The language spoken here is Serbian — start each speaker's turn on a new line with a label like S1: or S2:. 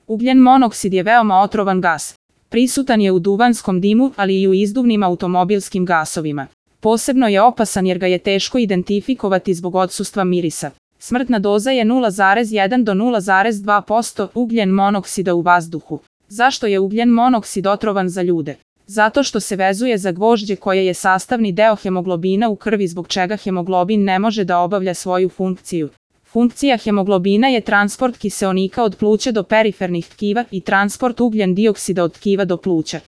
S1: Ugljen monoksid je veoma otrovan gas. Prisutan je u duvanskom dimu, ali i u izduvnim automobilskim gasovima. Posebno je opasan jer ga je teško identifikovati zbog odsustva mirisa. Smrtna doza je 0,1 do 0,2% ugljen monoksida u vazduhu. Zašto je ugljen monoksid otrovan za ljude? Zato što se vezuje za gvožđe koje je sastavni deo hemoglobina u krvi, zbog čega hemoglobin ne može da obavlja svoju funkciju. Funkcija hemoglobina je transport kiseonika od pluća do perifernih tkiva i transport ugljen dioksida od tkiva do pluća.